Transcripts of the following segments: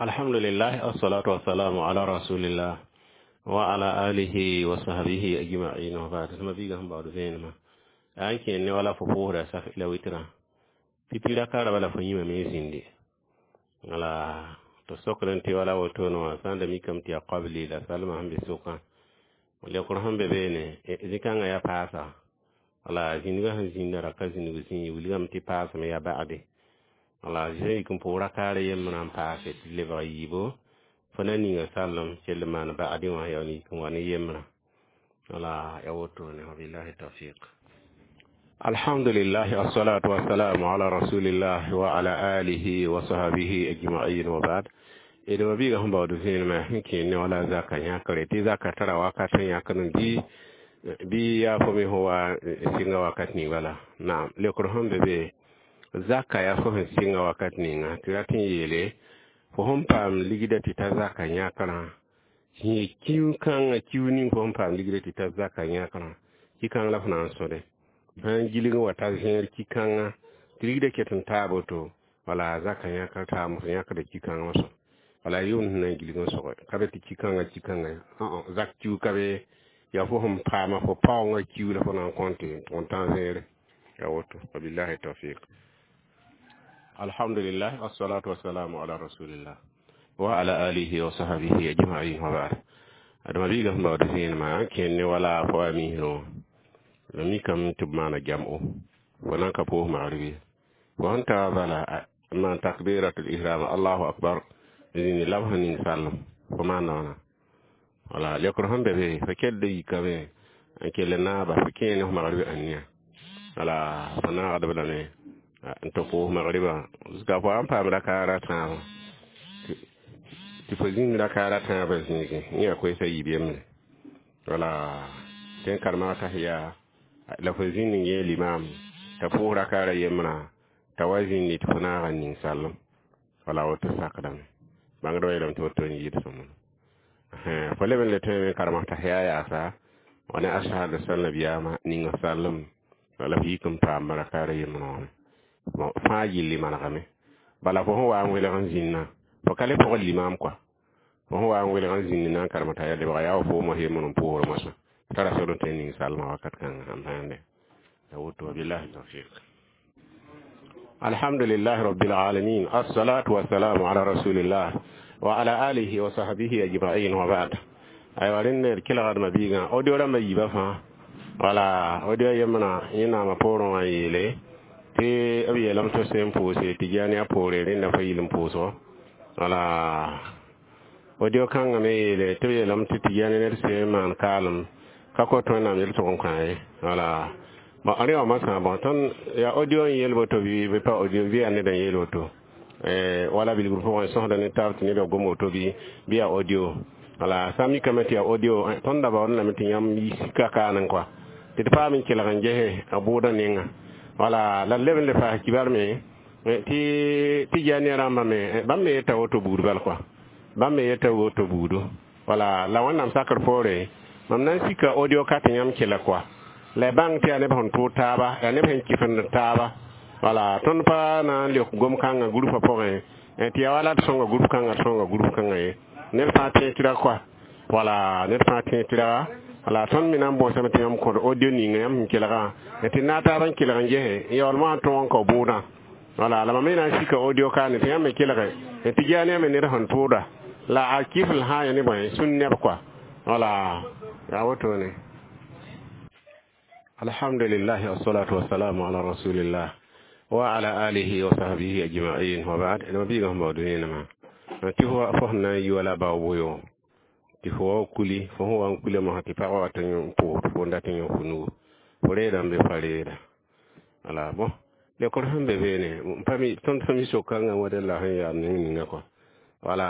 Alhamdulillah, assalatu wassalamu ala rasulillah wa ala alihi wa sahbihi ajma'in wa ba'd. Tɩ ma-biigã sẽn baood vẽenemã yaa n kẽer ne wala fo pʋʋsda saf la witrã pipi raka raba la fo yĩmame n zĩndi wala tɩ sokd n tɩ wala wotone wã sã n da mikame tɩ yaa qabli la salmã sẽn be sʋkã lekr sẽn be beene zĩ-kãngã yaa paasa wala zĩnigã sẽn zĩnda ra ka zĩnig zĩig wilgame tɩ paasame yaa ba'ade wala sẽn yik n pʋʋs rakaar yembrã n paase tɩ lebg yiibo fo na ninga sallem kell n maan ba'ade wã yaa yik n wa ne yembrã wala ya wotone wabillahi tawfiq. Alhamdulillah, assalatu wassalamu ala rasulillah wa ala alihi wa sahbihi ajma'in wa ba'd. D ma-biigã sẽn baood vẽenemã sẽn kẽer ne wala zaka yãkre tɩ zaka tara wakat n yãkd n bɩ yaa fo me sẽn wa sɩnga wakat ning bala naam lekr sẽn be be zaka yaa fo sẽn sɩnga wakat ninga tɩ rat n yeele fo sẽn paam ligda tɩ ta zaka yãkrã yẽ kiu kãngã kiu ning fo sẽn paam ligda tɩ ta zaka yãkrã ki-kãng la fo na n sõde sãn gilg n wa ta zẽer ki-kãngã tɩ ligda ket n taa boto wala zaka yãkr taam fo yãkda ki-kãngã wã soab wala yʋʋmd sẽn na n gilg n sogɛ ka be tɩ ki-kãngã ki-kãngã zak kiu ka be yaa fo sẽn paama fo paoongã kiu la fo na n kõ tɩ n tʋg n tã zẽere ya woto wabillahi tawfiq. Alhamdulillah, wassalatu wassalamu ala rasulillah wa ala alihi wa sahbihi ajma'in wa ba'd. Adama biiga sẽn baood vẽenemã n kẽer ne wala fo a misrẽ la mikame tɩ b maana jam'o fo nan ka pʋʋs magrb ye fo sẽn ta bala n maan takbiratul ihram allahu akbar zĩni la b sẽn ning sallem fo maanda wãna wala lekr sẽn be be fo kell yikame n kell naaba fo kẽer ne f magrb ãnniya wala fo naagdb lame n tɩ pʋʋs magribã zuka fo n paam rakaara tãabã tɩ fo zĩnd rakaara tãabã zĩigẽ yẽ yaa koɛɛsã yiib yembre wala tɩ n karema tahiya la fo zĩnd n yẽ limam t'a pʋʋs rakaara yembrã t'a wa zĩndi tɩ fo naag n ning sallem wala woto sakdame bãngdbã yeelame tɩ woto n yɩɩd sõmb fo leb n le tõeme n karem tahiya yaasa wa ne ashhadu sal nabiyaama ning sallem wala f yik n paam rakaara yembrã wã bon fãa yɩlli manegame bala fo sẽn wa n welg n zĩnnã fo ka le pʋgd limam kɔa fo sẽn wa n welg n zĩnd na n karem t'a yaa lebga yaa wa foomã yembr n pʋʋsr moasã tara sod n tõe n ning salmã wakat kãngã sẽn bãande ya woto wabillahi tawfiq. Alhamdulillah rabbil alamin, assalatu wassalamu ala rasulillah wa ala alihi wa sahbihi ajma'in wa ba'd. Aywa rẽnd d kelgdmã biigã audio rãmbã yiibã fãa wala audio yembrã yẽ naamã poorẽ wã yeele tɩ b yeelame tɩ sẽn pʋʋse tɩ jaane a poore rẽnda fa yɩl n pʋʋsgo wala audio kãngã me yeele tɩ b yeelame tɩ tɩ ned sẽn maan kaalem ka kot wẽnnaam yel-tʋg n kã ye wala bon rẽ wã masã bon tõnd yaa audio n yeel woto bɩ pa audio bɩ yaa ned n yeel woto wala bilgr pʋgẽ sõsda ne taab tɩ ned wa gom woto bɩ yaa audio wala sã n mikame tɩ yaa audio tõnd da baood lame tɩ yãmb sika kaanẽ kɔa tɩ d paam n kelg n gese a bʋʋdã nenga wala la leb n le paas kibar me tɩ tɩ jaane rãmbã me bãmb me yeta woto buud bal kɔa bãmb me yeta woto buudu wala la wẽnnaam sakr poore mam na n sika audio ka tɩ yãmb kela kɔa la y bãng tɩ yaa neb sẽn tʋʋd taaba yaa neb sẽn kɩfend taaba wala tõnd pa na n leok gom-kãngã gurupã pʋgẽ tɩ yaa wala d sõnga gurup kãngã d sõnga gurup kãngã ye ned fãa tẽeg tɩrg kɔa wala ned fãa tẽeg tɩrga wala tõnd me na n bõosame tɩ yãmb kõd audio ninga yãmb sẽn kelgã tɩ naag taab n kelg n gese n yaool moasã tõog n kao bʋʋdã wala la mam me na n sika audio kaane tɩ yãmb me kelge tɩ jaane me ned sẽn tʋʋda la a kifl sã ya ne bõe sũn neb kɔa wala yaa wotone. Alhamdulillah, wassalatu wassalamu ala rasulillah wa ala alihi wa sahbihi ajma'in wa ba'd. No biiga sẽn baood vẽenemã tɩ fo sẽn na n yi wala bao boyo tɩ fo wa kuli fo sẽn wa n kula mosã tɩ pagã wat n pʋʋs fo n dat n yõ fo nugu fo reeda n be fa reeda wala bon lekr sẽn be beene pa mi tõnd pa mi sok-kãngã wa la sẽn yaa neng ninga kɔa wala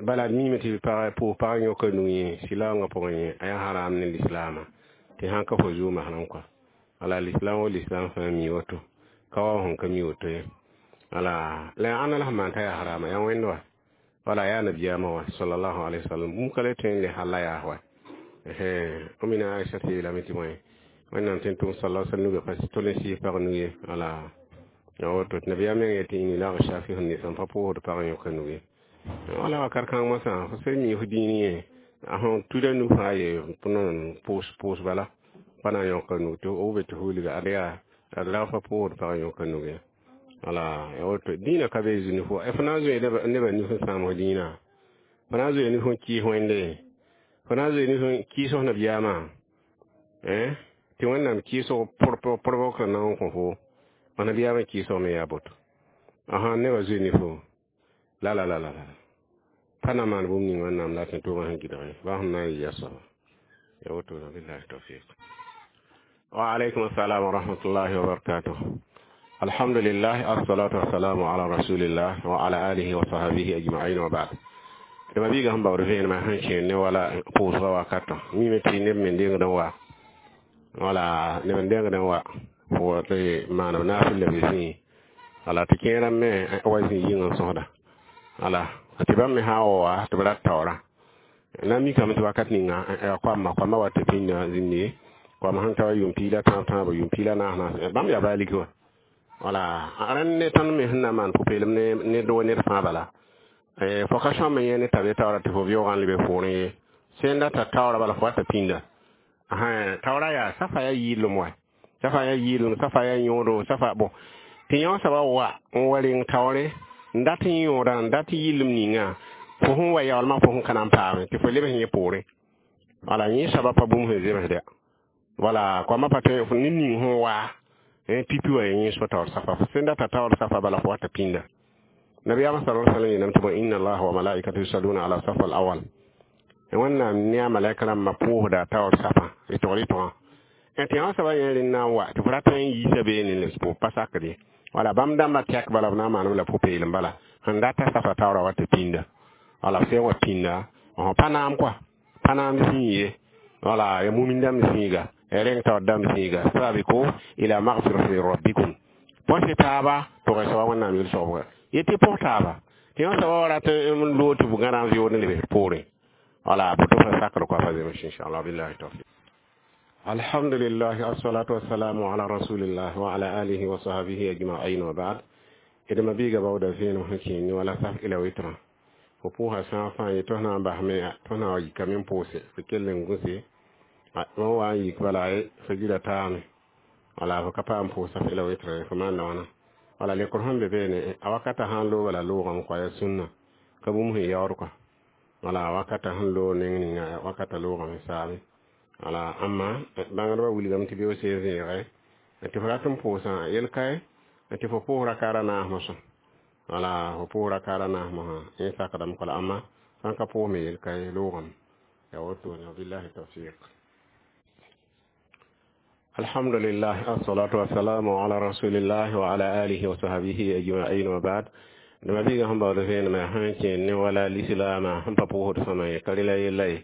bala d miime tɩ pag pʋʋs pag yõka nug yẽ sɩlaoongã pʋgẽ yẽ a yaa haram ne lislaamã tɩ sãn ka fo zʋʋ masrã kɔa wala lislam wo lislam fãa mi woto ka wa sẽn ka mi woto ye wala la yaa ãnna la sẽn maan t'a yaa harama yaa wẽnd wa wala yaa nabiyaamã wa sallallahu alaihi wasallam bũmb ka le tõe n le halla yaa wa omina Aisha tɩ yeelame tɩ bõe wẽnnaam tẽn tʋm sala sallam nuga pa tol n sɩɩs pag nug ye wala. Ya woto tɩ nabiyaam meng yetɩ inni la shafi nisa n pa pʋʋsd pag n yõka nug ye. Wala wakat kãng mosã fo sẽn mi f dĩin yẽ a sẽn tuda nu fãa ye pʋʋs bala pa na n yõka nug tɩ b be tɩ f wilga ad yaa ad la fa pʋʋsd pag n yõka nug ye. Wala ya woto dĩinã ka be zĩ fo f na n zoe nebã nif n sãam f dĩinã, fo na n zoe nif n kɩɩs Wẽnde, fo na n zoe nif n kɩɩs f nabiyaamã tɩ Wẽnnaam kɩɩsg pʋrbg sẽn na n kõ fo f nabiyaamã kɩɩsg me yaa boto. Ãsã nebã zoe nifo la la la la la pa na maan bũmb ning Wẽnnaam la tɩ tʋʋmã sẽn gɩdge baa sẽn na n yɩ ya soaba ya woto. Billahi tawfiq. Wa alaykum assalam wa rahmatullahi wa barakatuh. Alhamdulillah, assalatu wassalamu ala rasulillah wa ala alihi wa sahbihi ajma'in, wa ba'd. Dama biiga sẽn baood vẽenemã sẽn kẽer ne wala pʋʋsgã wakatã mime tɩ neb me dengd n wa wala neb n dengd n wa tɩ maaneb naafɩl la b zĩi wala tɩ kẽerã me wa zĩ yĩng n sõsda wala tɩ bãmb me sã n wa wa tɩ b rat taoorã na n mikame tɩ wakat ninga koamã koamã wa tɩ pĩnda zĩnde koam sẽn ta wa yʋʋm piig la tãab tãabo, yʋʋm piig la naas naas, bãmb yaa baa lik wã. Wala rẽnd ne tõnd me sẽn na n maan pʋ-peelem ne do ned fãa bala fo ka sõm n yẽ ne tabe taoora tɩ fo vɩoogã n lebe poorẽ ye sẽn data taoora bala fo wa t'a pĩnda. Taoora yaa safa yaa yɩɩlem wa, safa yaa yɩɩlem, safa yaa yõodo, safa bon tɩ yõ soaba wa n wa reng taoore n dat n yõoda n dat yɩllem ninga fo sẽn wa yaoolmã fo sẽn ka na n paame tɩ fo lebs yẽ poorẽ. Wala yẽ soaba pa bũmb sẽn zemsda wala koamã pa tõe ne ning sẽn waa pipi wa yẽ soa taoor safa fo sẽn data taoor safa bala fo wa t'a pĩnda. Nabiyaamã sala sallam yeelame tɩ bõ inna allaha wa malaikatu yusalluna ala safa al awal, Wẽnnaam ne a malaika rãmbã pʋʋsda taoor safã rɩtg rɩtgã tɩ yõ soaba yẽ rẽnd na n wa tɩ fo rat n yiisa beene n lebs pa sakd ye. Wala bãmb dãmbã tɛk bala b na n maaneb la pʋ-peelem bala sẽn data safa taoorã wa tɩ pĩnda. Wala b sẽn wa pĩnda pa naam kɔa pa naam zĩig ye, wala ya mumin dãmb zĩiga rẽng taoor dãmb zĩiga sabiku ila magfirati rabbikum põs taaba tʋg soaba Wẽnnaam yel-soabga yetɩ pʋs taaba tɩ yõ soaba wa rat n loog tɩ b gãda n vɩʋʋd n lebs poorẽ. Wala boto fa sakr kɔa pa zems inchallah. Billahi tawfiq. Alhamdulillah, assalatu wassalamu ala rasulillah wa ala alihi wa sahbihi ajma'in, wa ba'd. Idma biiga bawda vẽenem sẽn kẽer ne wala saf ila witra fo pʋʋsa sã fãa ye tɩ f na n basme tɩ f na wa yikame n pʋʋse fo kell n gũse wã wa n yik bala fo gira taame wala fo ka paam pʋʋs saf ila witra fo maan wãna. Wala lekr sẽn be beene a wakata sãn loog bala loogame kɔa ya sũnna ka bũmb sẽn yaood kɔa wala wakata sẽn loog neng ninga wakata loogame saame. Wala ãmma bãngdbã wilgame tɩ beoog seen zẽege tɩ fo rat n pʋʋsã yel-kae tɩ fo pʋʋs rakaara naas mosã. Wala fo pʋʋs rakaara naas mosã yẽ sakdame kɔla ãmma sãn ka pʋʋs me yel-kae loogame ya wotone. Wabillahi tawfiq. Alhamdulillah, assalatu wassalamu ala rasulillah wa ala alihi wa sahbihi ajma'in, wa ba'd. Dama biiga sẽn baood vẽenemã sẽn kẽer ne wala lislaamã sẽn pa pʋʋsd sõma ye ka rela yella ye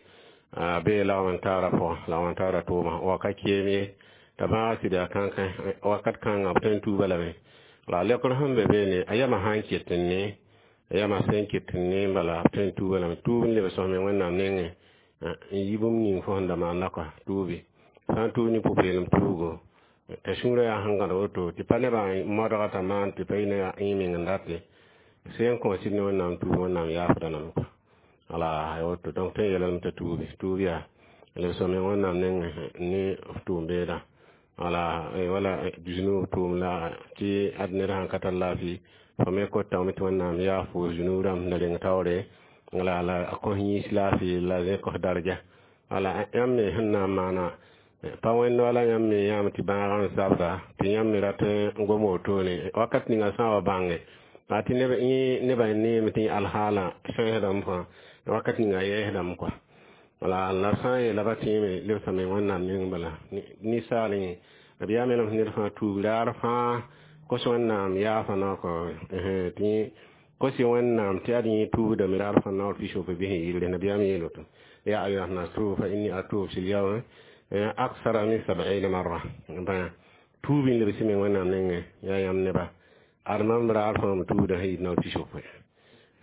a bee lagm n taara pʋgã lagm n taara tʋʋmã wa ka keem ye t'a bãaga sɩda kãnkã wakat kãngã b tõe n tuuba lame. La lekr sẽn be beene a yamã sã n ket n ne a yamã sẽn ket n ne bala b tõe n tuuba lame tuub n leb sõsme Wẽnnaam nengẽ n yi bũmb ning fo sẽn da maanda kɔa tuubi sã n tuub ne pʋ-peelem tuugo t'a sũurã yaa sẽn gãd woto tɩ pa nebã modga t'a maan tɩ pa yɩ ne yẽ meng n date sẽn kõ sɩd ne Wẽnnaam tuub Wẽnnaam yaafda lame kɔa. Wala ya woto donc tõe n yeelame t'a tuubi tuub yaa leb sõme Wẽnnaam nengẽ ne f tʋʋm beedã wala wala zunub tʋʋm la tɩ ad ned sãn ka tar laafɩ fo me kotame tɩ Wẽnnaam yaaf fo zunub rãmb sẽn da reng taoore la la a kõs yĩs laafɩ la zẽ kos darja. Wala yãmb me sẽn na n maana pa wẽnd wala yãmb me yãam tɩ bãagã n zabda tɩ yãmb me rat n gom wotone wakat ninga sã n wa bãnge a tɩ nebã neeme tɩ alhaalã sẽsdame fãa wakat ninga yɛɛsdame kɔa. Wala la sã n yeela ba tẽeme lebsame Wẽnnaam neng bala ninsaal yẽ d yaa melem ned fãa tuub raar fãa kos Wẽnnaam yaafa naoor kɔ tɩ kosi Wẽnnaam tɩ ad yẽ tuubdame raar fãa naoor pisope bɩ sẽn yɩlre nabiyaam yeel woto ya ayuha nnas tuubu fa inni atuub fil yawm aksara min sab'ina marra bã tuub n lebs me Wẽnnaam nengẽ yaa yãmb neba ad mam raar fãa m tuubda sẽn yɩ naoor pisope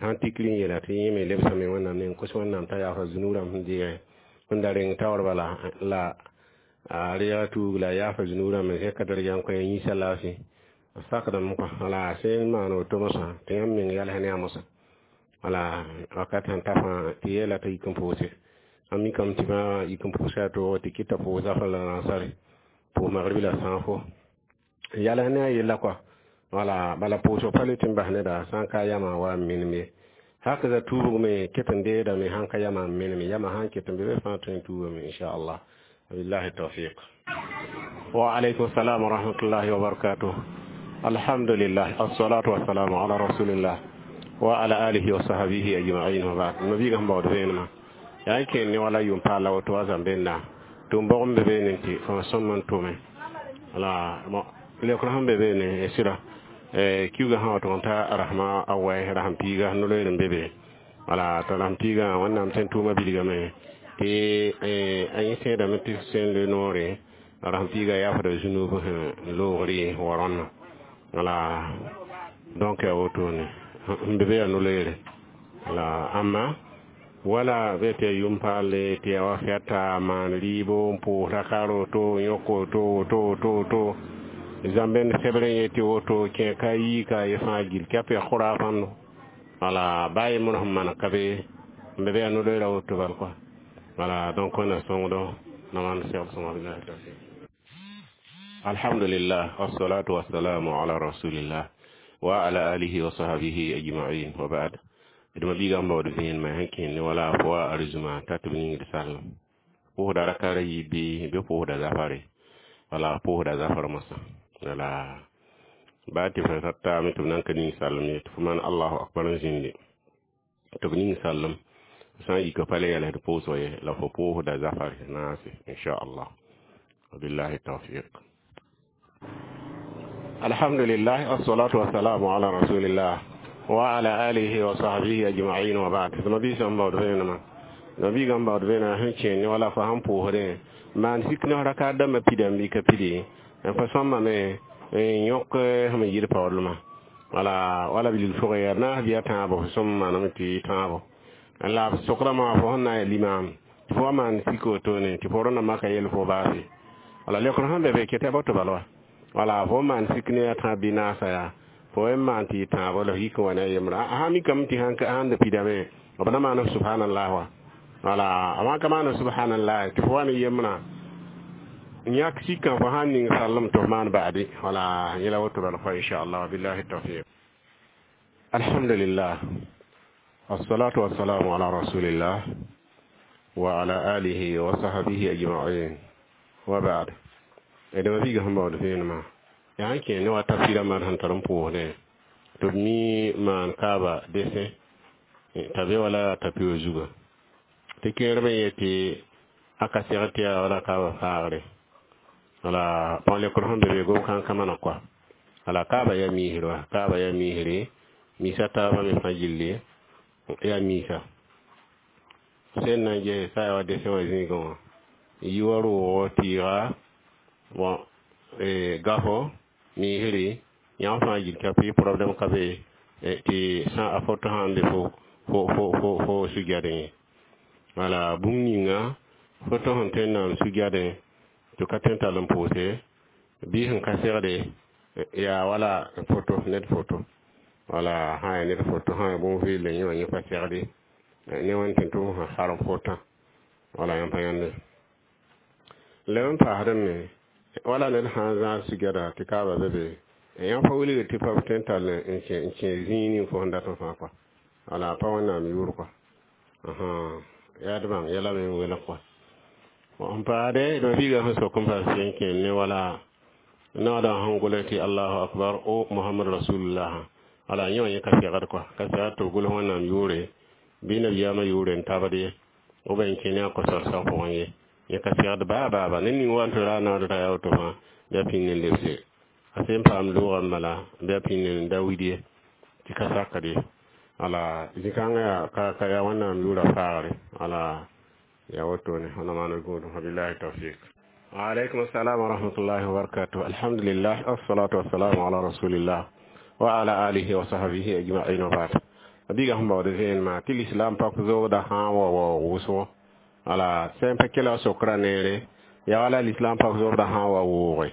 sãn tikr n yeela tɩ yẽ me lebsame Wẽnnaam neng kos Wẽnnaam t'a yaafa zunub rãmb sẽn deege sẽn da reng taoor bala la a reega tuug la a yaafa zunub rãmb zẽka darja n kõ yĩsa laafɩ. Sakdame kõ. Wala sẽn maan woto mosã tɩ yãmb meng yals ne a mosã. Wala wakat sẽn ta fãa tɩ yeela t'a yik n pʋʋse. A mikame tɩ bã yik n pʋʋsa a toog tɩ kɩta pʋʋs zafr la rãsare, pʋʋs magrib la sãafo, yals ne a yella kɔa. Wala bala pʋʋsg pa le tɩ n bas neda sã n ka yamã wa n menem ye. Hakaza tuubg me ket n deedame sãn ka yamã n menem, yamã sãn ket n be be fãa tõe n tuubame, inchallah. Wabillahi tawfiq. Wa alaykum salam wa rahmatullahi wa barakatuh. Alhamdulillah, assalatu wassalamu ala rasulillah wa ala alihi wa sahbihi ajma'in, wa ba'd. Mabiiga sẽn baood vẽenemã yaa n kẽer ne wala yʋʋm paal la woto wa zãmbenda tɩ m bog n be beene tɩ fõ sõm n tʋme. Wala leokr sẽn be beene sɩda kiuga sã wa tʋg n ta rasma a wɛ rasem piiga no-loeer n be be. Wala t'a rasem piigã Wẽnnaam sẽn tʋʋma bilgame tɩ a yẽ sẽedame tɩ sẽn le noore rasem piiga yaafda zunub sẽn loogre wa rõnna. Wala donc yaa wotone n be be yaa no-loeere. Wala ãmba wala be tɩ ya yʋm paalle tɩ ya wa fɛta maan rɩɩbo n pʋʋs raka roto yõk woto woto woto woto zãmbẽnd sebr n yetɩ woto kẽ ka yii ka ye fãa gill kɛp ya khurafãndo. Wala baa yembr sẽn maan ka be n be be yaa no-loeera woto bal kɔa. Wala donc wẽnna sõngdo na maan segl sõnga. Billahi tawfiq. Alhamdulillah, wassalatu wassalamu ala rasulillah wa ala alihi wa sahbihi ajma'in, wa ba'd. D mabiigã n baood vẽenemã sẽn kẽnd ne wala fo wa arzuma t'a tɩ b yĩngd sallem pʋʋsda rakara yiib bɩ pʋʋsda zafare. Wala pʋʋsda zafar mosã. Wala baa tɩ f taame tɩ b nan ka ning sallem ye, tɩ fo maan allahu akbar n zĩndi tɩ b ning sallem sã n yika pa le yɛls d pʋʋsg ye la fo pʋʋsda zafare naase, inchallah. Wabillahi tawfiq. Alhamdulillah, assalatu wassalamu ala rasulillah wa ala alihi wa sahbihi ajma'in, wa ba'd. Nabi sẽn baood vẽenemã, nabiigã n baood vẽenema sẽn kẽer ne wala fo sãn pʋʋsdẽ maan sik ne raka dãmbã pidame bɩ ka pide n fa sõmbame n yõk sẽm n yɩl paoodlmã. Wala wala bilg fʋgẽ yaa naas bɩ a tãabo fo sõm maname tɩ tãabo la f sokdãmã fo sẽn na n yaa limaam tɩ fo wa maan sik wotone tɩ fo rõndã maka yel fo baase. Wala leokr sẽn be be ket a bato bal wa. Wala fo maan sik ne a tãab bɩ naasa yaa fo n maan tɩ tãabo la f yik n wa ne a yembrã a sã mikame tɩ sãn da pidame b na maan f subhanallah wa. Wala a wãn ka maan subhanallah tɩ fo wa ne yembrã yãk sikã fo sãn ning sallem tɩ f maan ba'adi. Wala yẽla woto bal fa, inchallah. Billahi tawfiq. Alhamdulillah, wassalatu wassalamu ala rasulillah wa ala alihi wa sahbihi ajma'in, wa ba'd. D mabiiga sẽn baood vẽenemã yaa n kẽ ne wa tafsɩrã maan sẽn tar n pʋʋsdẽ tɩ b mi maan kaaba desẽ t'a be wala tapɩ zugã tɩ kẽerb n yetɩ a ka segd tɩ yaa wala kaaba faagre. Wala bõn lekr sẽn be be gom-kãnkã maneg kɔa. Wala kaaba yaa miisr wa kaaba yaa miisre misa taabã me fãa gilli yaa misa sẽn na n ges sã yaa wa desẽ wã zĩigẽ wã yi wa roogo tɩɩga bon gafo miisri yãmb fãa gil ka pɩ problème ka be tɩ sã a foto sãn be fo fo fo fo fo sugɛdẽ ye. Wala bũmb ninga foto sẽn tõe n na n sugɛdẽ tɩ ka tõe n tall n pʋʋse bɩ sẽn ka segde yaa wala foto ned foto. Wala sã yaa ned foto sã yaa bũmb vɩɩl yẽ wã yẽ pa segde ne wẽn tɩ tʋm sẽn harem fotã. Wala yãmb pa yãnde leb n paasdẽ me wala ned sã n zãag sugɛda tɩ kaaba be be yãmb pa wilgd tɩ pa tõe n tall n kẽ zĩig ning fo sẽn dat n fãa kɔa. Wala pa Wẽnnaam yʋʋr kɔa yaa d bãng yɛla me n welg kɔa. N paade d mabiigã sẽn sok n paas sẽn kẽer ne wala naoodã sẽn gʋls tɩ allahu akbar o Mohamad rasulullah. Wala yẽ wã yẽ ka segd kɔa, ka segd tɩ b gʋls Wẽnnaam yʋʋre bɩ nabiyaamã yʋʋre n tabd ye b n kẽ ne a kosar-sã pʋgẽ ye. Yẽ ka segd baa baaba ned ning wa n tɩ ra naood ra yaa woto fãa bɩ a pĩnd n lebse a sẽn paam loogã n bala bɩ a pĩnd n da wid ye tɩ ka sakd ye. Wala zĩ-kãngã yaa ka yaa Wẽnnaam yʋʋra faagre. Wala yaa wotone wẽnnaam maan gũudum. Wabillahi tawfiq. Waalaikum assalam wa rahmatullahi wa barakatuh. Alhamdulillah, assalatu wassalamu ala rasulillah wa ala alihi wa sahbihi ajma'in, wa ba'd. Biiga sẽn baood vẽenemã tɩ lislaam pak zoogda sã n wa waoog wʋsgo. Wala sẽn pa kela sokra neere yaa wala lislaam pak zoogda sã n wa wooge.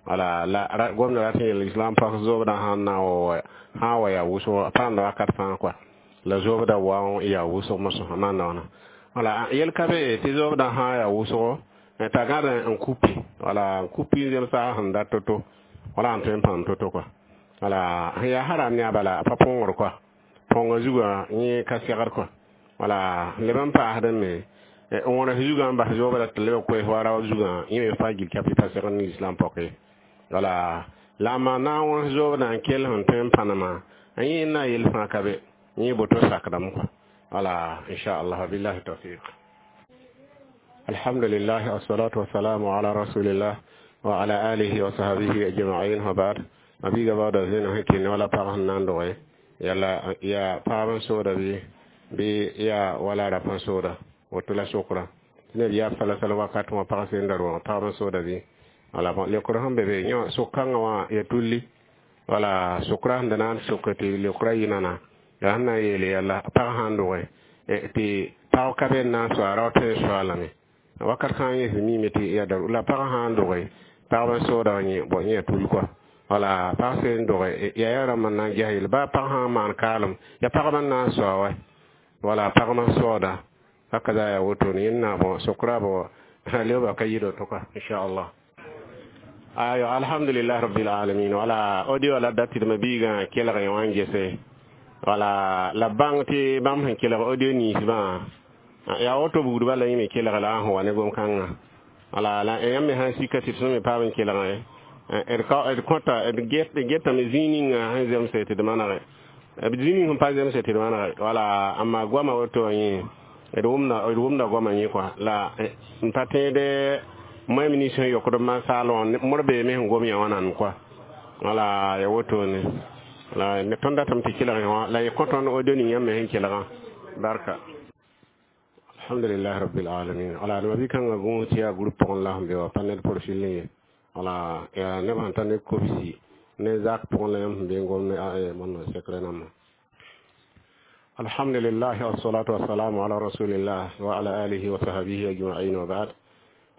Wala la gomda rat n yeel islam pak zobdã sãn na n sã n wa yaa wʋsg paamda wakat fãa kɔa la zobda wa n yaa wʋsg mosã maanda wãna. Wala yel ka be tɩ zobdã sã n yaa wʋsgo t'a gãd n kupi, wala n kupi n zemsa sẽn dat to-to, wala n tõe n pãam to-to kɔa. Wala sẽn yaa haram ne a bala pa põngr kɔa, põngã zugã yẽ ka segd kɔa. Wala leb n paasdẽ me n wõnes zugã n bas zoobda tɩ leb koees wa rao zugã, yẽ me fa gil kapi pa segd ne islam poke. Wala la a maan na n wõns zoobdã n kell sẽn tõe n pãnema, yẽ na yel fãa ka be, yẽ boto sakdame kɔa. Wala inchallah, billahi tawfiq. Alhamdulillah, wassalatu wassalamu ala rasulillah wa ala alihi wa sahbihi ajma'in, wa ba'd. Mabiiga baooda zẽna sẽn kɩ wala pag sẽn na n doge yala yaa paab n sooda bɩ yaa wala rap n sooda woto la sokra tɩ neb yaab sala-sal wakat wã pag sẽn da roogã pagb n sooda bɩ. Wala bõn leokr sẽn be be yõ sok-kãngã wã ya tulli. Wala sokra sẽn da na n soke tɩ leokra yɩ nana yaa sẽn na n yeele yalla pag sã n doge tɩ pag ka be n na n soa rao tõe n soa lame wakat sã n yẽs miime tɩ ya la pag sã n doge pagb n sooda yẽ bõ yẽ ya tull kɔa. Wala pag sẽn doge yaa yaa rãmb n na n ges yel baa pag sã n maan kaalem ya pagb n na n soa wa, wala pagb n soooda hakaza ya woto ne yẽnna bõ sokra bõ leoba ka yɩ to kɔa inchallah. Ayo, alhamdulillah rabbil alamin. Wala audio la dat tɩ mabiigã kelg yẽ wã n gese. Wala la bãng tɩ bãmb sẽn kelg audio ninsbã yaa woto buudbã la yẽ me kelg la n sẽn wa ne gom-kãngã. Wala la yãmb me sãn sika tɩ tõnd me paam n kelgẽ d kõta d getame zĩig ninga sẽn zemse tɩ d manege b zĩig ning sẽn pa zemse tɩ d manege. Wala amma goama woto yẽ d wʋmda goama yẽ kɔa la n pa tẽede moɛm nins sẽn yokd masaal wã mor beeme sẽn gom yã wã nan kɔa. Wala ya wotone la ne tõnd datame tɩ kelg wã la y kõ tõnd audio ning yãmb me sẽn kelgã barka. Alhamdulillah rabbil alamin. Wala d mabi-kãngã gũus tɩ yaa groupe pʋgẽ la sẽn be wa pa ned profil ye. Wala yaa neb sẽn tar ne kobsi ne zak pʋgẽ la yãmb sẽn be n gom ne mõnna sekre nambã. Alhamdulillah, wassalatu wassalamu ala rasulillah wa ala alihi wa sahbihi ajma'in, wa ba'd.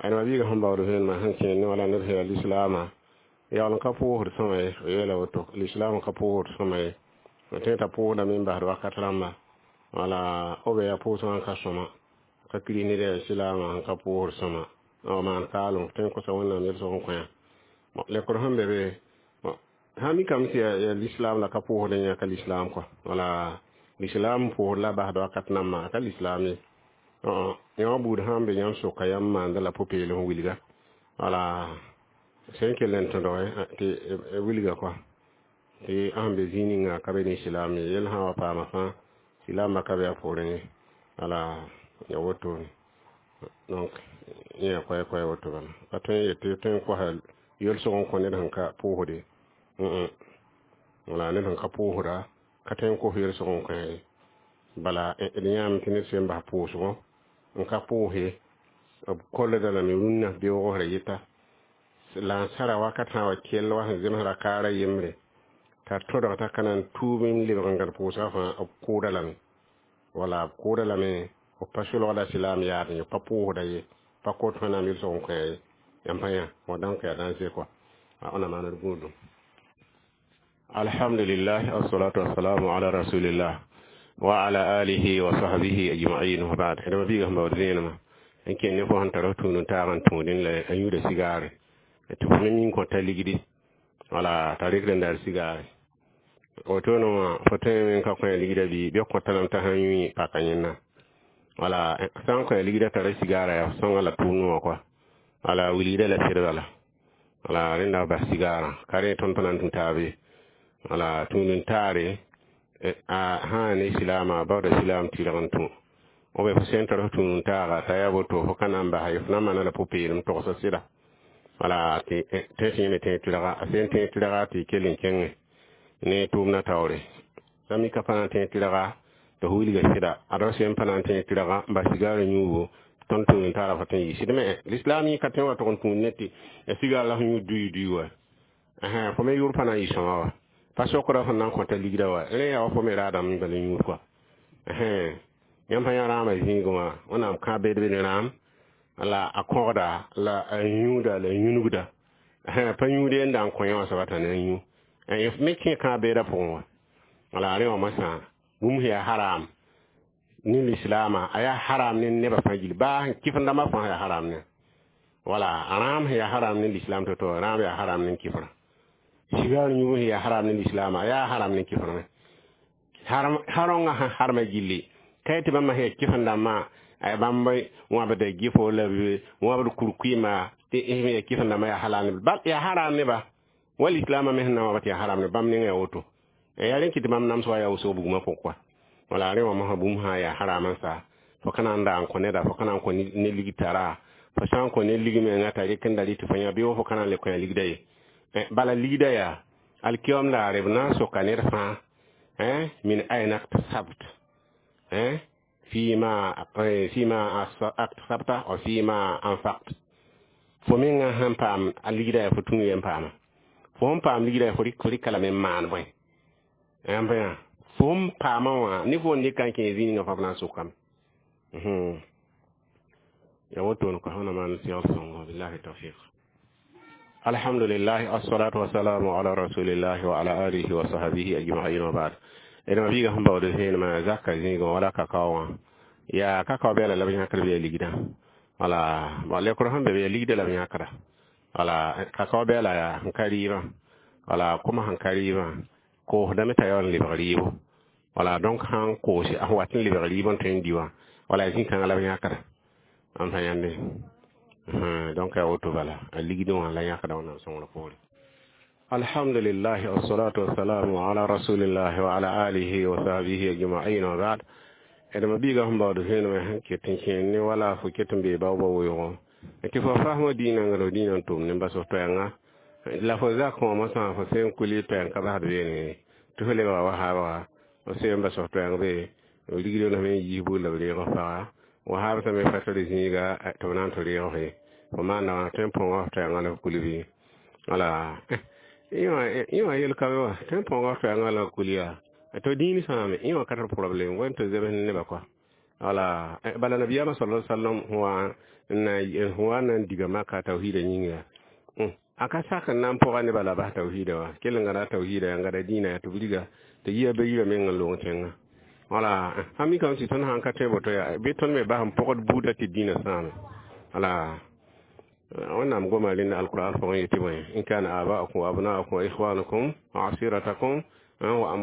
Ayna mabiiga sẽn baood vẽenemã sẽn kẽ ne wala ned sẽn yaa lislaamã yaool n ka pʋʋsd sõma ye, yeela woto lislaam ka pʋʋsd sõma ye, tõe t'a pʋʋsdame n basd wakat rãmba. Wala b yaa pʋʋsgã n ka sõma ka kiri ned yaa islaamã sẽn ka pʋʋsd sõma n maan kaalem tõe n kosa Wẽnnaam yel-sõg n kõ yã. Lekr sẽn be be sã mikame tɩ yaa lislaam la ka pʋʋsd yã ka lislaam kɔa. Wala lislaam pʋʋsd la basd wakat nambã a ka lislaam ye. Yã wã buud sã n be yãmb soka yãmb maanda la pʋ-peelem wilga. Wala sẽn kell n tõdge tɩ wilga kɔa tɩ sẽn be zĩig ninga ka be ne islaam ye, yel sã wa paama fãa silaamã ka be a poorẽ ye. Wala ya wotone, donc yẽ yaa koɛ-koɛ woto bala pa tõe n yetɩ tõe n kosa yel-sõg n kõ ned sẽn ka pʋʋsde. Wala ned sẽn ka pʋʋsda ka tõe n kos yel-sõg n kõ ye. Bala d yãame tɩ ned sẽn bas pʋʋsgõ n ka pʋʋse b kolda lame rũnnã beoogosra yeta la n sara wakat sã wa kell wa sẽn zemsra kaara yembre t'a tõdg t'a ka na n tuub n lebg n gãd pʋʋsgã fãa b kʋʋda lame. Wala b kʋʋda lame, b pa solgda silaam yaad ye, pa pʋʋsda ye, pa kot Wẽnnaam yel-sõg n kõ ye. Yãmb pa yã wa dãnk yaa dãnse kɔa wẽnnaam maan d gũudum. Alhamdulillah, wassalatu wassalamu ala rasulillah wa ala alihi wa sahbihi ajma'in, wa ba'd. D mabiiga sẽn baood zẽenemã n kẽ ne fo sẽn tar f tũud n taag n tũudẽ la a yũuda sigaare tɩ fo me min kõta ligdi, wala t'a rɩkd n dar sigaare wotone wã fo tõe n ka kõ a ligda bɩ bɩ kõta lame t'a sã n yũ paka yẽnna. Wala sã n kõ a ligda tara sigaara yaa sõnga la tʋʋmd wã kɔa. Wala wilgda la sɩd bala. Wala rẽnda bas sigaarã ka rẽ tõnd pa na n tũ taabe. Wala tũud n taare a sã ne silaamã baooda silaam tɩrg n tũ b fo sẽn tar f tũud n taaga t'a yaa boto fo ka na n basa ye, fo na n maana la pʋ-peelem togsa sɩda. Wala tɩ tõe tɩ yẽ me tẽeg tɩrga a sẽn tẽeg tɩrga tɩ kell n kẽngẽ ne tʋʋmdã taoore sã mika pa na n tẽeg tɩrga tɩ f wilga sɩda ad f sẽn pa na n tẽeg tɩrga n bas sigaarã yũubu. Tõnd tũud n taara fo tõe n yɩ sɩd me lislaam yẽ ka tõe n wa tʋg n tũud ne tɩ sigaar la f yũ dui dui wa fo me yʋr pa na n yɩ sõma wa pa sokra fõn na n kõta ligda wa rẽ yaa wa fo me raadame bala yũud kɔa. Yãmb sã yã rãamã zĩigẽ wã Wẽnnaam kãab beed be ne rãam la a kõgda la a yũuda la yũnugda. Pa yũud n da n kõ yã wã soaba t'a na n yũ me kẽ kãab beedã pʋgẽ wã. Wala rẽ wã masã bũmb sẽn yaa haram ne lislaamã, a yaa haram ne nebã fãa gill, baa sẽn kɩfr dãmbã fãa yaa haram ne. Wala rãam sẽn yaa haram ne lislaam to-to, rãam yaa haram ne kɩfrã. Sigaar yũub sẽn yaa haram ne lislaamã, a yaa haram ne kɩfr me. Harõngã sẽn harmã gilli ka tɩ bãmba sẽn yaa kɩfr dãmbã, bãmb wãbda gɩfo la wãbd kurkuɩma tɩ sẽn yaa kɩfr dãmbã yaa halal ne bal, yaa haram neba wa lislaamã me sẽn na wãba tɩ yaa haram ne bãmb ninga yaa woto. Yaa rẽ kɩ tɩ bãmb nams wa yaa wʋsg bugmã pʋg kɔa. Wala rẽ wã mosã bũmb sã yaa haram n sa, fo ka na n da n kõ neda, fo ka na n kõ ne lig tara, fo sã n kõ ne lig menga t'a rɩk n da rɩ tɩ fo yã bɩ wa fo ka na n le kõ ya ligda ye. Bala ligda yaa alkiyom daare b na n soka ned fãa min aina iktasabt, fima aktasabta wa fima anfaqt. Fo menga sẽn paam a ligda yaa fo tũu yen paama, fo sẽn paam ligda yaa fo rɩka lame n maan bõe yãmb yã fo sẽn paamã wã ne fo n dɩka n kẽ zĩig fãa b na n sokame. Ya woto ko hana man segl sõngo. Billahi tawfiq. Alhamdulillah, assalatu wassalamu ala rasulillah wa ala alihi wa sahbihi ajma'in wa ba'd. Ẽd ma biiga sẽn baood vẽenemã zaka zĩigẽ wala kakao wã yaa kakao bɛɛla la b yãkd bɩ yaa ligdã. Wala bon, lekr sẽn be bɩ yaa ligda la b yãkda. Wala kakao bɛɛla yaa sẽn ka rɩɩbã, wala kʋma sẽn ka rɩɩbã koosdame t'a yaool n lebg rɩɩbo. Wala donc sãn koose a sẽn wat n lebg rɩɩb n tõe n di wã, wala zĩ-kãngã la b yãkda n pa yãnde. Donc yaa woto bala a ligdẽ wã la yãkda Wẽnnaam sõngr poore. Alhamdulillah, wassalatu wassalamu ala rasulillah wa ala alihi wa sahbihi ajma'in wa ba'd. D ma biiga sẽn baood vẽenemã sẽn ket n kẽer ne wala fo ket n bee bao-ba weoogõ tɩ fo fasmã dĩinã n dĩinã n tʋm ne n bas f toɛɛngã la fo zak wã mosã fo sẽn kuli toɛɛng ka basd beene tɩ fo lebga wa haabga fo sẽn bas f toɛɛng be rigdo la me yiis bug la b reeg f paga wa haabsã me fa tɩ zĩiga tɩ b na n tɩ reeg f ye fo maanda wã tõe n põnga f toɛɛngã la f kul bɩ. Wala yẽ wã yel ka be wa tõe n põnga f toɛɛngã la f kul yaa to dĩin sãame yẽ wã ka tar problème wen tɩ zems ne nebã kɔa. Wala bala nabiyaamã sala sallam wa na n diga maka tawhiida yĩnga yaa a ka sak n na n pʋga nebã la bas tawhiida wã kell n gãda tawhiida yaa n gãda dĩinã yaa tɩ b riga tɩ yia be yirã meng n loong tẽngã. Wala sã mikame tɩ tõnd sãn ka tõe boto yaa bɩ tõnd me bas n pʋgd buudã tɩ dĩinã sãame. Wala Wẽnnaam goma rẽnda alquran pʋgẽ yetɩ bõe: in kana aba'ukum wa abna'ukum wa ikhwanukum wa asiratakum wa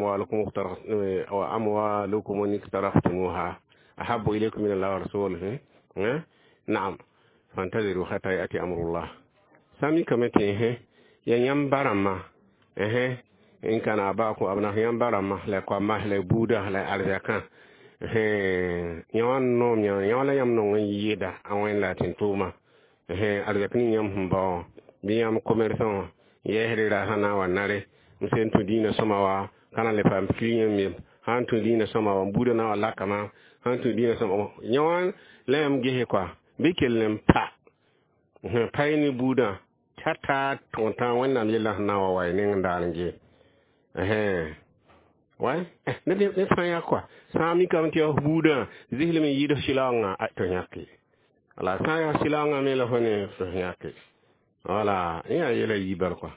amwalukum iqtaraftumuha ahabbu ilaykum min Allah wa rasulihi, na'am, fantaziru hatta yati amrullah. Sã mikame tɩ ya yãmb ba rãmbã, in kana aba'ukum abna'ukum, yãmb ba rãmbã la koamã la buudã la arzɛkã yã wã noom yã wã la yãmb nong n yɩɩda a wẽnd la tɩ tʋʋma arzɛk ning yãmb sẽn bao bɩ yãmb commerçant wã yɛɛsd rasã na n wa nare n sẽn tũ dĩinã sõma wa ka na n le paam client me sã n tũ dĩinã sõma wa buudã na wa lakama sã n tũ dĩinã sõma yã wã la yãmb gese koa bɩ kell n pa pa y ne buudã t'a taa tõog tã Wẽnnaam yellã sẽn na n wa wa y neng n daal n ge wa ned fãa yaa koa sã n mikame tɩ yaa f buudã zislem n yɩɩd f sɩlaoongã tɩ yãke. Wala sã n yaa sɩlaoongã me la fo ne f yãke. Wala yẽ yaa yɛla yi bal koa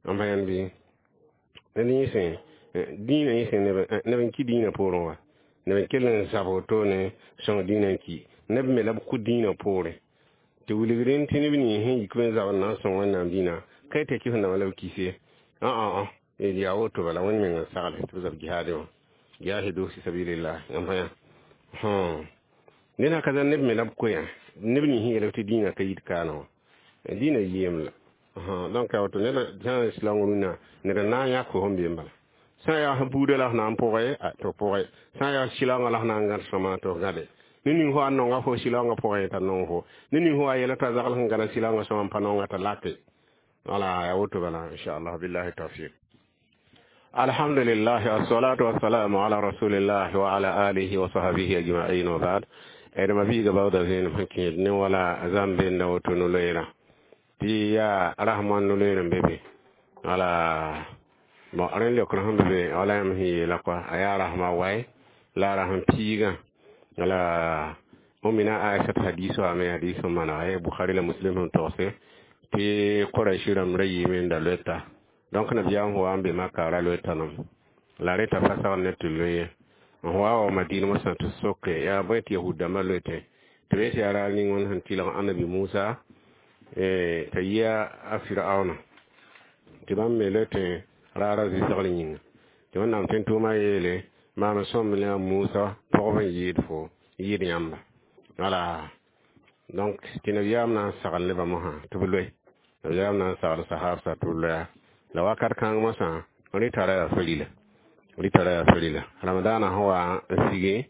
n pa yãnd bɩ ned yẽ dĩinã yẽ sẽn neb n ki dĩinã poorẽ wa neb n kell n zab wotone sõng dĩinã n ki neb me la b kʋ dĩinã poorẽ tɩ wilg rẽnd tɩ neb nins sẽn yik n zabd na n sõng Wẽnnaam dĩinã ka tɩ kɩs dãmbã la b kise yaa woto bala Wẽnd meng n sagle tɩ b zab jihaadẽ wã jahidu fi sabilillah n pa yã ned ka neb me la b koɛã neb nins sẽn yeelg tɩ dĩinã ka yit kaana wã dĩinã yɩɩm la. Donc yaa woto ned sã n silaong rũnnã ned n na n yãk fo sẽn be n bala sã n yaa f buudã la f na n pʋgẽ tɩ f pʋgẽ sã n yaa silaoongã la f na n gãd sõma tɩ f gãde ne ning fo a nonga fo silaoongã pʋgẽ t'a nong fo ne ning fo a yɛla t'a zagl sẽn gãda silaoongã sõma n pa nonga t'a lake. Wala yaa woto bala inchallah. Billahi tawfiq. Alhamdulillah, assalatu wassalamu ala rasulillah wa ala alihi wa sahbihi ajma'in wa ba'd. D ma biiga baooda vẽenem sẽn kẽed ne wala zãmb benda woto no-loeerã tɩ yaa rasmãn no-loeer n be be. Wala bon, rẽnd leokr sẽn be be wala yãmb sẽn yeela koa a yaa rasmã wae la a rasm piigã. Wala mina Aisat hadis wa me hadis sẽn manega Bukhari la Muslim sẽn togse. Tɩ Quraish rãmb ra yiime n da loeta. Donc nabiyaam sẽn wa n be Maka ra loeta nam. La reta pa sagl ne tɩ loe ye. N wa wa Madina mosã tɩ soke yaa bõe tɩ yahud dãmbã loetẽ tɩ b yetɩ yaa raar ning wẽnd sẽn tɩlg Anabi Musa t'a yi a Firaona tɩ bãmb me loetẽ raarã zɩsgr yĩnga. Tɩ Wẽnnaam tẽn-tʋʋmã yeele maam sõmb ne a Musa pɔgb n yɩɩd fo yɩɩd yãmba. Wala donc tɩ nabiyaam na n sagl nebã mosã tɩ b loe. Nabiyaam na n sagl sahabsã tɩ b loɛa. La wakat kãng mosã rɩta ra yaa farila. Rɩta ra yaa farila. Ramadaanã sẽn wa n sigi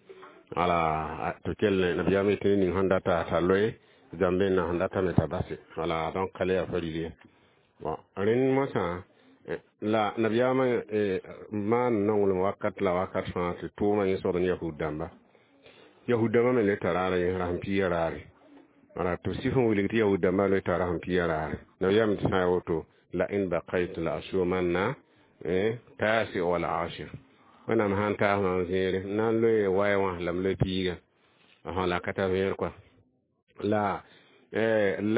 wala tɩ kell nabiyaam yetɩ ned ning sẽn data t'a loe zãmbeenã sẽn data me t'a base. Wala donc ka le yaa faril ye. Bon rẽnd mosã la nabiyaamã maan nonglem wakat la wakat fãa tɩ tʋʋmã yẽ sogd ne yahud dãmba. Yahud dãmbã me le tara raarã yẽ rasem piigã raare. Wala tɩ b sɩf n wilg tɩ yahud dãmbã le tara rasem piigã raare. Nabiyaam tɩ sã n ya woto la in baqaytu la asumanna taasi wala ashir. Wẽnnaam sãn taas mam zẽere n na n loe waya wã la m loe piiga. La ka tar vẽer kɔa. La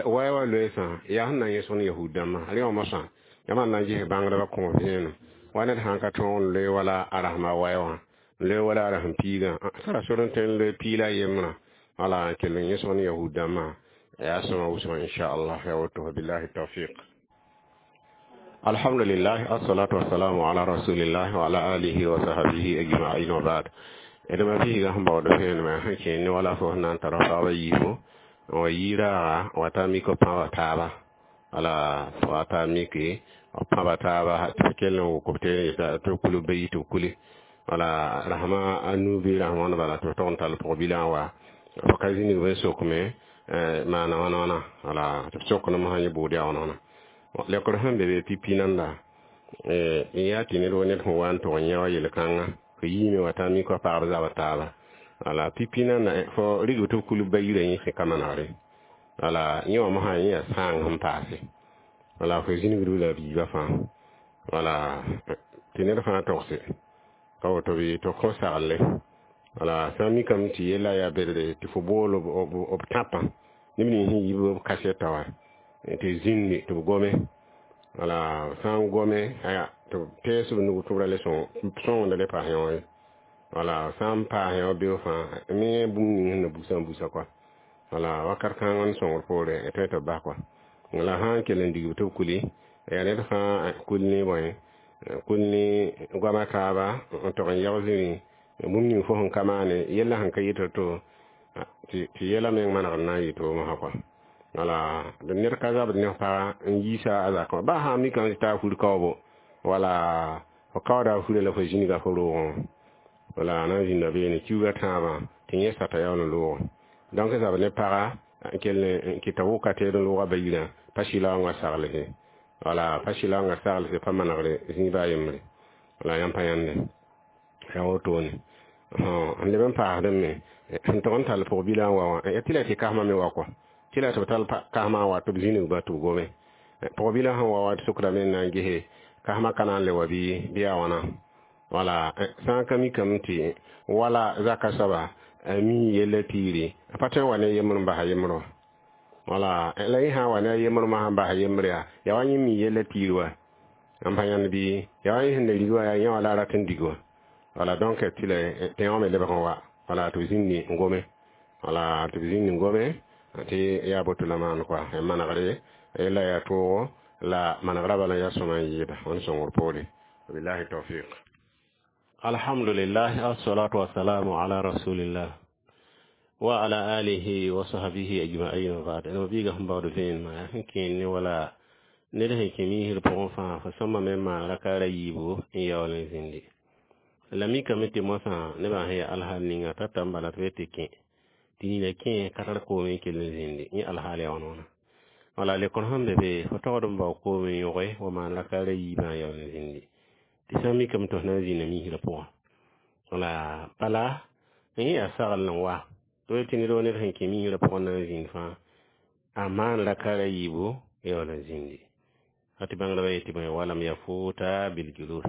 waya wã loeesã yaa sẽn na n yẽsg ne yahud dãmbã. Rẽ wã mosã yãmb na n ges bãngdbã kõ vẽenem. Wa ned sãn ka tõog n loe wala a rasma waya wã n loe wala a rasem piigã tara sor n tõe n loe piig la a yembrã. Wala n kell n yẽsg ne yahud dãmbã yaa sõma wʋsgã inchallah ya woto billahi tawfiq. Alhamdulillah, assalatu wassalamu ala rasulillah wa ala alihi wa sahbihi ajma'in wa ba'd. Edma biiga sẽn baood vẽenemã sẽn kẽ ne wala fo sẽn na n tara soaba yiibu n wa yɩ raaga wa ta mik b pãba taaba. Wala wa ta miki b pãba taaba tɩ b kell n wʋk b teere tɩ b kul b bayi tɩ b kuli. Wala rasma a nu bɩ rasm wãn bala tɩ b tog n tall pʋg-bilã n wa b ka zĩnig b n sokme maana wãna wãna. Wala tɩ b sok ne mosã yẽ bʋʋd yaa wãna wãna. Lekr sẽn be be pipi nanda n yaa tɩ ned wa ned sẽn wa n tʋg n yã wa yel-kãnga fo yiime wa t'a mik wa pagb zaba taaba. Wala pipi nanda fo rigb tɩ b kul bayirã yẽsẽ ka manegre. Wala yẽ wã mosã yẽ yaa sãang sẽn paase. Wala fo zĩnigd la biiba fãa. Wala tɩ ned fãa togse ka woto bɩ tɩ kõ sagle. Wala sã n mikame tɩ yella yaa bedre tɩ fo bool b tãpã neb nins sẽn yib b kasɛta wã tɩ zĩndi tɩ b gome. Wala sã n gome aya tɩ b tees b nug tɩ b ra le sõngda le paas yõ ye. Wala sã n paas yõ beo fãa me bũmb ning sẽn na busã busa kɔa. Wala wakat kãng n sõngr poore tõe tɩ b bas kɔa. La sã n kell n digb tɩ b kuli yaa ned fãa kul ne bõe kul ne goama taaba n tog n yag zĩri bũmb ning fo sẽn ka maane yella sẽn ka yɩt to tɩ yɛla meng manegr na n yɩ to mosã kɔa. Wala ned ka zabd ne paga n yiisa a zakã baa sã n mikame tɩ taa fur kaoobo wala fo kaooda furã la fo zĩniga fo roogẽ. Wala a na n zĩnda beene kiuugã tãabã tɩ yẽ sata yaool n loogẽ. Donc zabd ne paga n kell n kɩta wʋka teed n loogã bayirã pa sɩlaoongã saglse. Wala pa sɩlaoongã saglse pa manegre zĩiba a yembre. Wala yãmb pa yãnde. Yaa wotone. N leb n paasdẽ me sẽn tog n tall pʋg-bilã n wa wã tɩ la tɩ kasmã me wa kɔa. Tɩ la tɩ b tall kasmã n wa tɩ b zĩnigba tɩ b gome. Pʋg-bilã sẽn wa wã tɩ sokdame n na n gese kasmã ka na n le wa bɩ yaa wãna. Wala sã n ka mikame tɩ wala zaka soaba a mi yella piiri a pa tõe n wa ne yembr n basa yembr wã. Wala la yẽ sã n wa ne a yembr mosã n basa yembr yaa yaa wa yẽ mi yella piiri wa n pa yãnd bɩ yaa wa yẽ sẽn da rig wã yaa yẽ wã la a rat n dig wã. Wala donc tɩ la tɩ wã me lebg n wa. Wala tɩ b zĩndi n gome. Wala tɩ b zĩndi n gome tɩ yaa boto la maan kɔa manegre yella yaa toogo la manegrã bala yaa sõma n yɩɩda wẽnd sõngr poore. Billahi tawfiq. Alhamdulillah, assalatu wassalamu ala rasulillah wa ala alihi wa sahbihi ajma'in wa ba'd. No biiga sẽn baood vẽenemã sẽn kẽen ne wala ned sẽn kẽ miisr pʋgẽ fãa fo sõma me maan rakaara yiibu n yaool n zĩndi. La mikame tɩ mosã nebã sẽn yaa alhaal ninga tata n bala tɩ b tɩ kẽ tɩ nina kẽ ka tar koom n kell n zĩndi yẽ alhaal yaa wãna wãna. Wala lekr sẽn be be fo togd n bao koom n yõge wa maan rakaara yiibã n yaool n zĩndi. Tɩ sã n mikame tɩ f na n zĩnda miisrã pʋgã. Wala bala yẽ yaa sagl n wa tɩ tɩ ned wa ned sẽn kẽ miisrã pʋgẽ na n zĩnd fãa a maan rakaara yiibu yaool n zĩndi. Tɩ bãngdbã yetɩ bõe walam yafuta biljulus.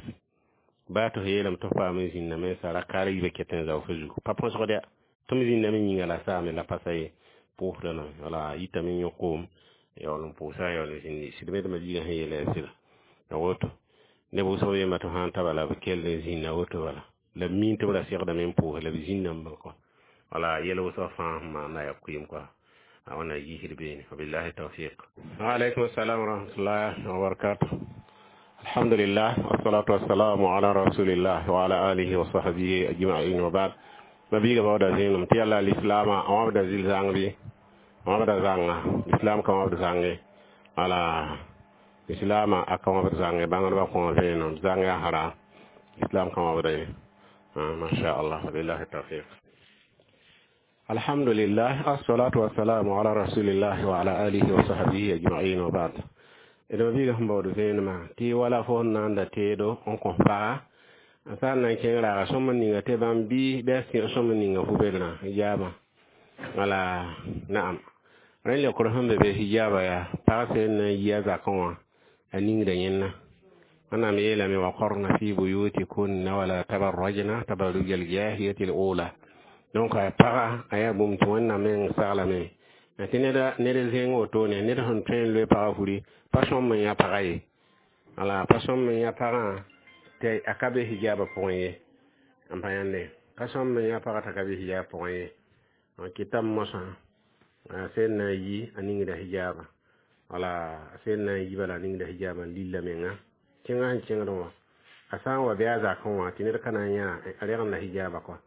Baa tɩ f yeelame tɩ f paam n zĩndame sa rakaara yiibã ket n zao fo zugu pa põsgd ya. Tɩ m zĩndame yĩnga la saame la pa sa ye pʋʋsda lame. Wala yitame n yõ koom Yaool n pʋʋsa, yaool n zĩndi sɩd me d mabiigã sẽn yeela yaa sɩda ya woto. Neb wʋsg yemba tɩ sã n ta bala b kell n zĩnda woto bala la b miin tɩ b ra segdame n pʋʋse la b zĩnda n bal kɔ. Wala yɛl wʋsg fãa sẽn maanda yaa kʋɩɩm kɔa a wẽnnaam yiisd beene. Wabillahi tawfiq. Waalaikum assalam wa rahmatullahi wa barakatuh. Alhamdulillah, wassalatu wassalamu ala rasulillah wa ala alihi wa sahbihi ajma'in, wa ba'd. Mabiiga baooda zẽenem tɩ yalla lislaamã a wãbda zɩl zãng bɩ a wãbda zãnga lislaam ka wãbd zãnge. Wala lislaamã a ka wãbd zãnge, bãngdbã kõ vẽenem zãng yaa haram, islam ka wãbda ye. Masha Allah, wabillahi tawfiq. Alhamdulillah, assalatu wassalamu ala rasulillah wa ala alihi wa sahbihi ajma'in, wa ba'd. D mabiiga sẽn baood vẽenemã tɩ wala fo sẽn na n da teedo n kõ paga a sã n na n kẽng raaga sõmb ninga tɩ bãmb bɩ a sẽg sõmb ninga fu-bedrã hijaabã. Wala naam, rẽ leokr sẽn be be hijaabã yaa pag sẽn na n yi a zakẽ wã a ningda yẽnna. Wẽnnaam yeelame: waqarna fi buyutikunna wala tabarrajna tabarruj aljahiliyati al-ula. Donc a paga a yaa bũmb tɩ Wẽnnaam meng saglame tɩ ned zẽng wotone ned sẽn tõe n loe pagã furi pa sõm n yã pagã ye. Wala pa sõm n yã pagã tɩ a ka be hijaabã pʋgẽ ye. N pa yãnde pa sõm n yã pagã t'a ka be hijaab pʋgẽ ye. Kɩtame mosã a sẽn na n yi a ningda hijaabã, wala a sẽn na n yi bala a ningda hijaabã n lilla menga kẽngã sẽn kẽngd wã. A sã n wa bɩ a zakẽ wã tɩ ned ka na n yã a regenda hijaabã kɔa.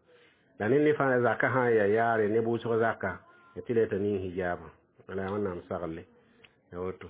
La ned ne fãa zakã sã n yaa yaare ne wʋsg zaka tɩ la t'a ning hijaabã. Wala Wẽnnaam sagle ya woto.